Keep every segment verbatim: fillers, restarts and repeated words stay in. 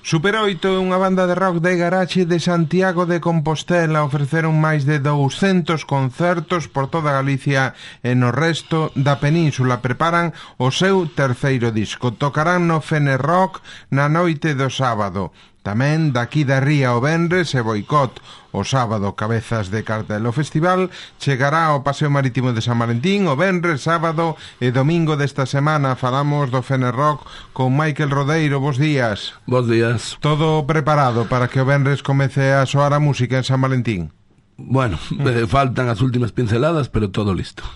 Super oito é unha banda de rock de garaxe de Santiago de Compostela. Ofreceron máis de douscentos concertos por toda Galicia e no resto da península. Preparan o seu terceiro disco. Tocarán no Fenerrock na noite do sábado. Tamén daqui da Ría o venres e Boicot o sábado. Cabezas de cartel. O festival chegará ao Paseo Marítimo de San Valentín o venres, sábado e domingo desta semana. Falamos do Fenerrock con Michael Rodeiro. Bos días. Bos días. Todo preparado para que o venres comece a soar a música en San Valentín? Bueno, eh, faltan as últimas pinceladas, pero todo listo.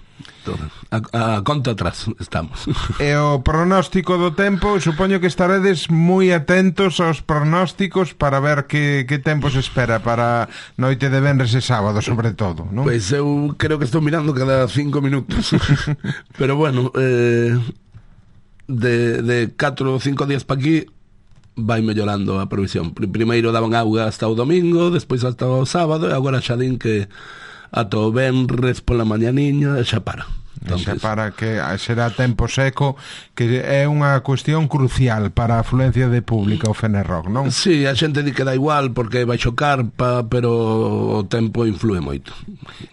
Todo. A, a conta atrás estamos. E o pronóstico do tempo, supoño que estaredes moi atentos aos pronósticos para ver que, que tempo se espera para noite de venres e sábado, sobre todo, non? Pois pues eu creo que estou mirando cada cinco minutos. Pero bueno, eh, de, de catro ou cinco días pa aquí vai mellorando a provisión. Primeiro daban auga hasta o domingo, despois hasta o sábado, e agora xa din que ata o venres pola mañaniña xa para. Entonces, xa para que será tempo seco, que é unha cuestión crucial para a afluencia de público ao Fenerrock, non? Sí, a xente di que dá igual porque vai chocar, pa, pero o tempo influe moito.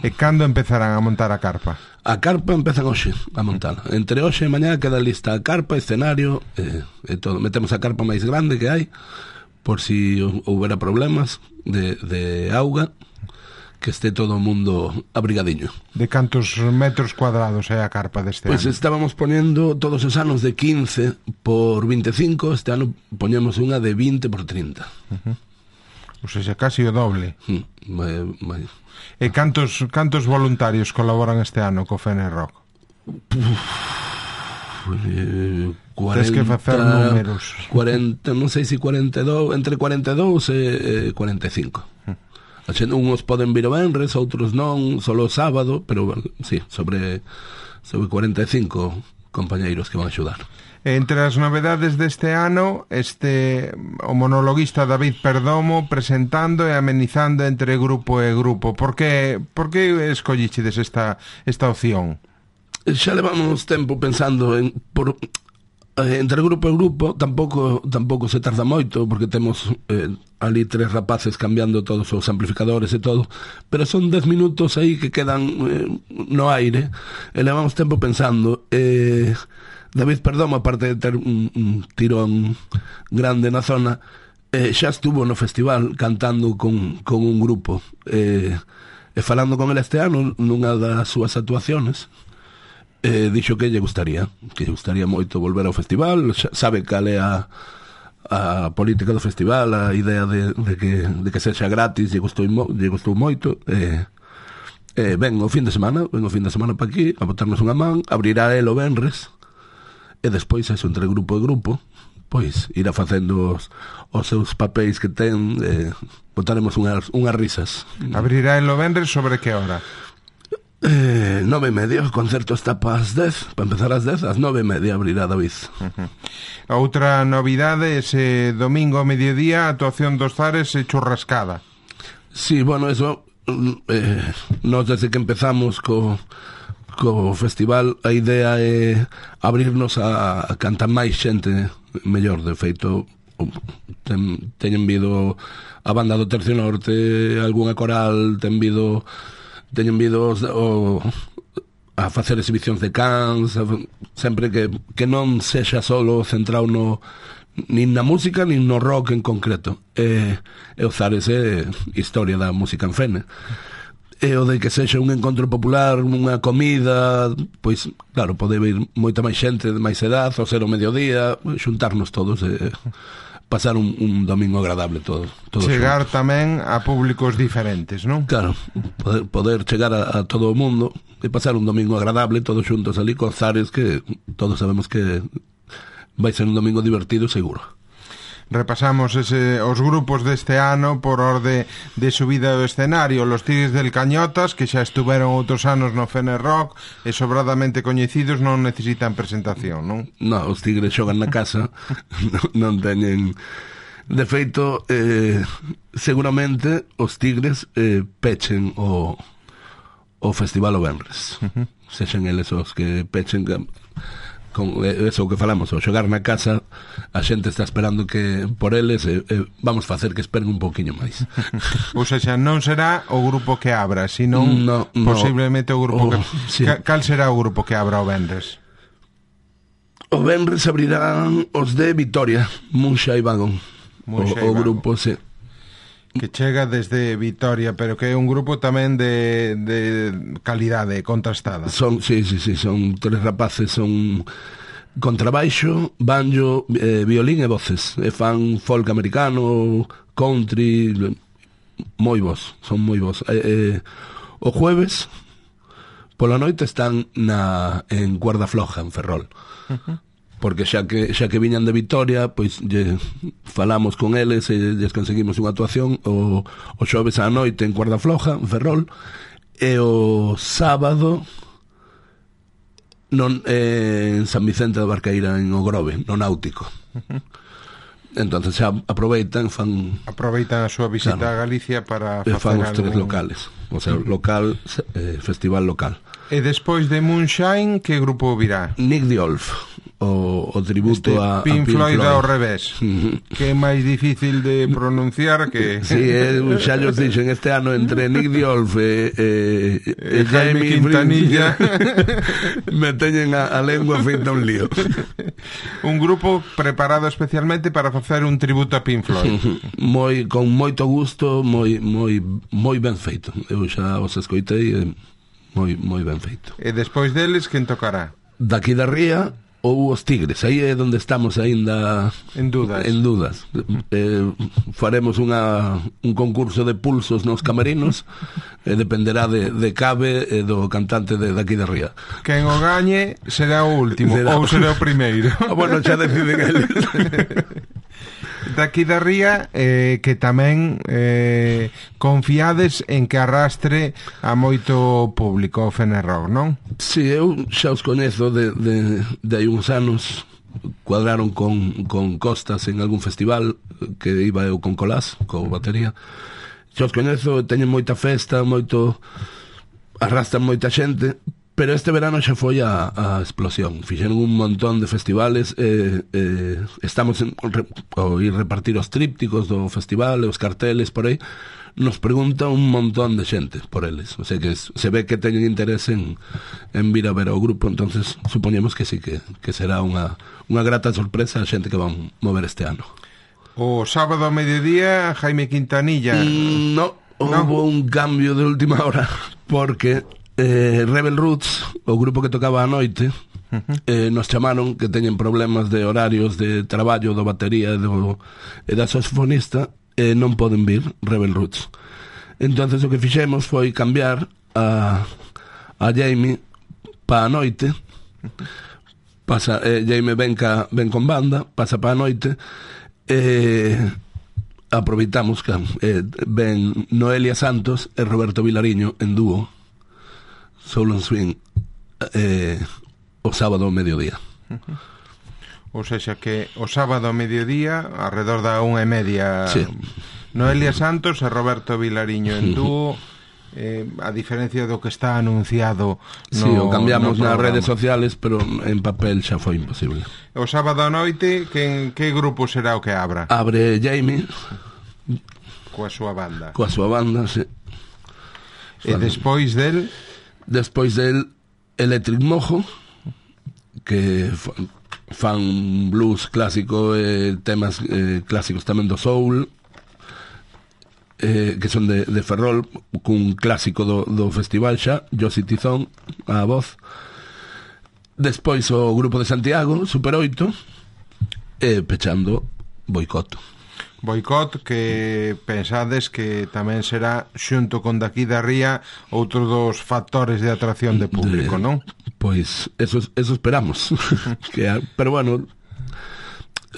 E cando empezarán a montar a carpa? A carpa empezan hoxe a montar. Entre hoxe e mañá queda lista a carpa, escenario e, e todo. Metemos a carpa máis grande que hai por si houbera problemas de, de auga, que este todo o mundo abrigadiño. De cantos metros cuadrados é a carpa deste pues ano? Pois estábamos ponendo todos os anos de quince por vinte e cinco, este ano poñemos unha de vinte por trinta. Uh-huh. O sea, casi o doble. Mm, vai, vai. E cantos, cantos voluntarios colaboran este ano co Fenerrock? Eh, cuarenta, Tens que facer números. cuarenta, non sei se cuarenta e dous, entre cuarenta e dous e cuarenta e cinco. Uh-huh. Uns poden vir o venres, outros non, solo o sábado, pero bueno, sí, sobre, sobre cuarenta e cinco compañeiros que van a axudar. Entre as novedades deste ano, este o monologuista David Perdomo presentando e amenizando entre grupo e grupo. Por que, por que escollichedes esta, esta opción? Xa levamos tempo pensando en por entre grupo e grupo tampouco tampouco se tarda moito porque temos eh, ali tres rapaces cambiando todos os amplificadores e todo, pero son dez minutos aí que quedan eh, no aire e levamos tempo pensando. eh, David Perdomo, aparte de ter un, un tirón grande na zona, eh, xa estuvo no festival cantando con, con un grupo eh, e falando con ele este ano nunha das súas actuaciones. Eh, dixo que lle gustaría que lle gustaría moito volver ao festival. Sabe cal é a, a política do festival, a idea de, de, que, de que sexa gratis, lle gustou, lle gustou moito. eh, eh, ven o fin de semana ven o fin de semana pa aquí a botarnos unha man, abrirá el o venres e despois eso, entre grupo e grupo, pois irá facendo os, os seus papéis que ten. eh, botaremos unhas, unhas risas. Abrirá el o venres sobre que hora? Eh, nove e media, o concerto está para as dez, para empezar ás dez, ás nove e media abrirá David. Uh-huh. Outra novidade, ese domingo ao mediodía, a actuación dos Zares e churrascada. Sí, bueno, eso eh, nós desde que empezamos co, co festival, a idea é abrirnos a, a cantar máis xente mellor. De feito, ten, teñen vido a banda do Tercio Norte, algunha coral, ten vido teñen vido o, a facer exhibicións de cans, a, sempre que, que non sexa solo centrado no nin na música nin no rock en concreto. E, e o Zares é historia da música en Fene, e o de que sexa un encontro popular, unha comida, pois claro, pode vir moita máis xente de máis edad, ao ser o mediodía, xuntarnos todos e pasar un, un domingo agradable todo, todo chegar xuntos. Tamén a públicos diferentes, non? Claro, poder, poder chegar a, a todo o mundo e pasar un domingo agradable todos xuntos ali con Zares, que todos sabemos que vai ser un domingo divertido seguro. Repasamos ese, os grupos deste ano por orde de subida do escenario. Los Tigres del Cañotas, que xa estuveron outros anos no Fenerrock e sobradamente coñecidos, non necesitan presentación, non? Non, os Tigres xogan na casa, non teñen... De feito, eh, seguramente os Tigres eh, pechen o, o festival o venres. Uh-huh. Sexen eles os que pechen... con eso que falamos, ao xogar na casa a xente está esperando que por eles e, e vamos facer que esperen un pouquiño máis. Ou seja, non será o grupo que abra, sino no, no, posiblemente o grupo oh, que... Sí. Cal será o grupo que abra o venres? O venres abrirán os de Vitoria, Munxa e Vagón. Munxa o, e o grupo, Vagón. sí. Que chega desde Vitoria, pero que é un grupo tamén de, de calidade contrastada. Son, sí, sí, sí, son tres rapaces, son contrabaixo, banjo, eh, violín e voces. E fan folk americano, country, moi bons, son moi bons. Eh, eh, o jueves pola noite están na en Cuerda Floja, en Ferrol. Uh-huh. Porque xa que xa que viñan de Vitoria, pois lle falamos con eles e lles conseguimos unha actuación o, o xoves á noite en Cuerda Floja, en Ferrol, e o sábado non, eh, en San Vicente de Barqueira, en Ogrove, no Náutico. Uh-huh. Entonces xa aproveitan, fan aproveitan a súa visita, claro, a Galicia para facer fan os tres algún... locales, o sea, local, eh, festival local. E despois de Moonshine, que grupo virá? Nick Diolf, o, o tributo este a, Pink, a Pink Floyd, Floyd ao revés. Que é máis difícil de pronunciar que... Sí, eh, xa llos dixen este ano entre Nick Diolf e, e, e, e Jaime Quintanilla me teñen a, a lengua feita un lío. Un grupo preparado especialmente para facer un tributo a Pink Floyd. Moi, con moito gusto, moi, moi, moi ben feito. Eu xa os escoitei e moi, moi ben feito. E despois deles, quen tocará? Daqui da Ría ou os Tigres, aí é onde estamos aínda en dudas. En dudas. Eh, faremos unha, un concurso de pulsos nos camerinos e dependerá de, de Cabe e do cantante de daqui da Ría. Quen o gañe será o último será... ou será o primeiro. Ah, bueno, xa deciden eles. Daqui da Ría, eh, que tamén eh, confiades en que arrastre a moito público o Fenerrock, non? Si, sí, eu xa os coñezo de, de, de hai uns anos. Cuadraron con, con Costas en algún festival que iba eu con Colás, co batería. Xa os coñezo, teñen moita festa, moito, arrastran moita xente. Pero este verano xa foi a, a explosión. Fixeron un montón de festivales, eh, eh, estamos en, re, a ir repartir os trípticos do festival, os carteles por aí. Nos pregunta un montón de xente por eles. O sea que se ve que teñen interés en, en vir a ver ao grupo. Entonces supoñemos que sí, que, que será unha, unha grata sorpresa a xente que van mover este ano. O sábado ao mediodía, Jaime Quintanilla. Mm, no, houve un cambio de última hora, porque eh, Rebel Roots, o grupo que tocaba a noite, uh-huh. eh, nos chamaron que teñen problemas de horarios de traballo do batería e, do, e da saxofonista, e non poden vir Rebel Roots. Entonces o que fixemos foi cambiar a, a Jaime pa a noite. Pasa, eh, Jaime ven, ca, ven con banda, pasa pa a noite, e aproveitamos que eh, ven Noelia Santos e Roberto Vilariño en dúo Soul and Swing eh, o sábado ao mediodía. Uh-huh. Ou seja que o sábado ao mediodía alrededor da unha e media, sí. Noelia Santos e Roberto Vilariño en dúo. Eh, a diferencia do que está anunciado no, sí, o cambiamos no nas redes sociales, pero en papel xa foi imposible. O sábado a noite, que, que grupo será o que abra? Abre Jaime coa súa banda. Coa súa banda, sí. E despois del Despois del Electric Mojo, que fan blues clásico e temas eh, clásicos tamén do soul, eh, que son de, de Ferrol, cun clásico do, do festival xa, Josie Tizón a voz. Despois o grupo de Santiago, Super oito, e pechando Boicot. Boicot, que pensades que tamén será, xunto con daqui da Ría, outro dos factores de atracción de público, de, non? Pois eso, eso esperamos. que, pero bueno,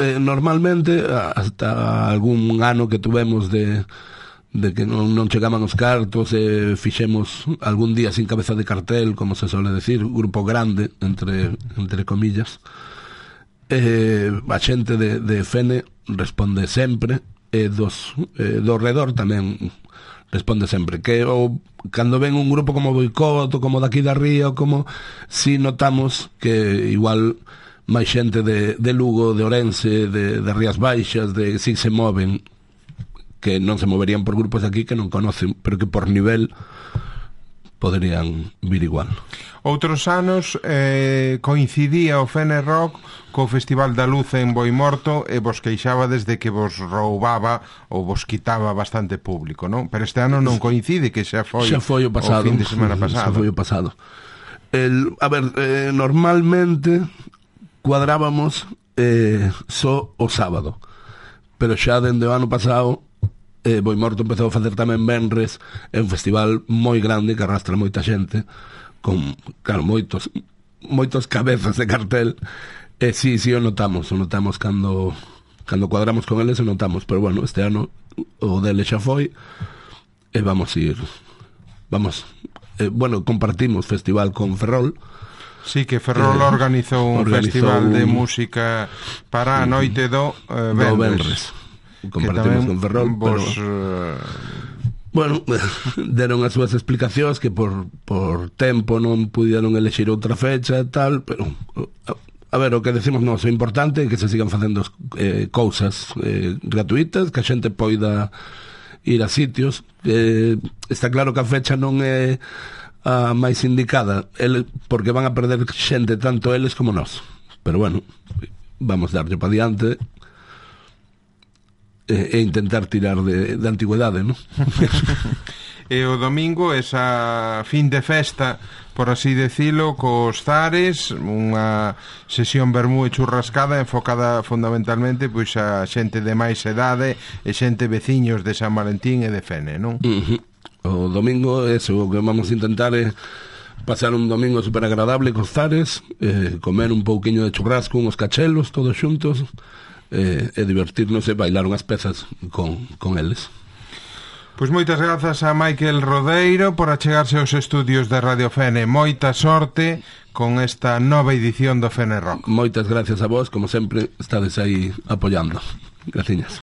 eh, normalmente hasta algún ano que tuvemos de, de que non, non chegaban os cartos e eh, fixemos algún día sin cabeza de cartel, como se suele decir, grupo grande, entre, entre comillas. Eh, a xente de, de Fene responde sempre, e dos eh, do redor tamén responde sempre, que o, cando ven un grupo como Boicot ou como daqui da Ría, ou como si notamos que igual máis xente de, de Lugo, de Ourense, de, de Rías Baixas, de si se moven, que non se moverían por grupos aquí que non conocen, pero que por nivel poderían vir igual. Outros anos eh, coincidía o Fene Rock co Festival da Luz en Boimorto e vos queixaba desde que vos roubaba ou vos quitaba bastante público, non? Pero este ano non coincide, que xa foi, xa foi o pasado, o fin de semana pasado. Xa foi o pasado. El, a ver, eh, normalmente cuadrábamos eh, só o sábado, pero xa dende o ano pasado eh, Boimorto empezou a facer tamén venres, é un festival moi grande que arrastra moita xente con, claro, moitos moitos cabezas de cartel, e si, si o notamos o notamos cando cando cuadramos con eles, o notamos, pero bueno, este ano o dele xa foi e vamos ir vamos, eh, bueno, compartimos festival con Ferrol. Sí, que Ferrol eh, organizou un organizou festival un... de música para a noite do eh, Venres, do Venres. Compartimos con Ferrol, vos, pero... bueno, deron as súas explicacións que por, por tempo non pudieron elexir outra fecha e tal, pero a, a ver, o que decimos nós, o importante é que se sigan facendo eh, cousas eh, gratuitas, que a xente poida ir a sitios. Eh, está claro que a fecha non é a máis indicada, ele, porque van a perder xente tanto eles como nós, pero bueno, vamos darlle para diante e intentar tirar de, de antigüedade, non? E o domingo, esa fin de festa, por así decilo, cos Zares, unha sesión vermú e churrascada enfocada fundamentalmente pois a xente de máis edade e xente veciños de San Valentín e de Fene, non? Uh-huh. O domingo, eso, o que vamos a intentar é pasar un domingo super agradable cos Zares, eh, comer un pouquiño de churrasco, uns cachelos, todos xuntos, e, e divertirnos e bailar unhas pezas con, con eles. Pois moitas grazas a Michael Rodeiro por achegarse aos estudios de Radio Fene. Moita sorte con esta nova edición do Fene Rock. Moitas gracias a vos, como sempre estades aí apoiando. Graciñas.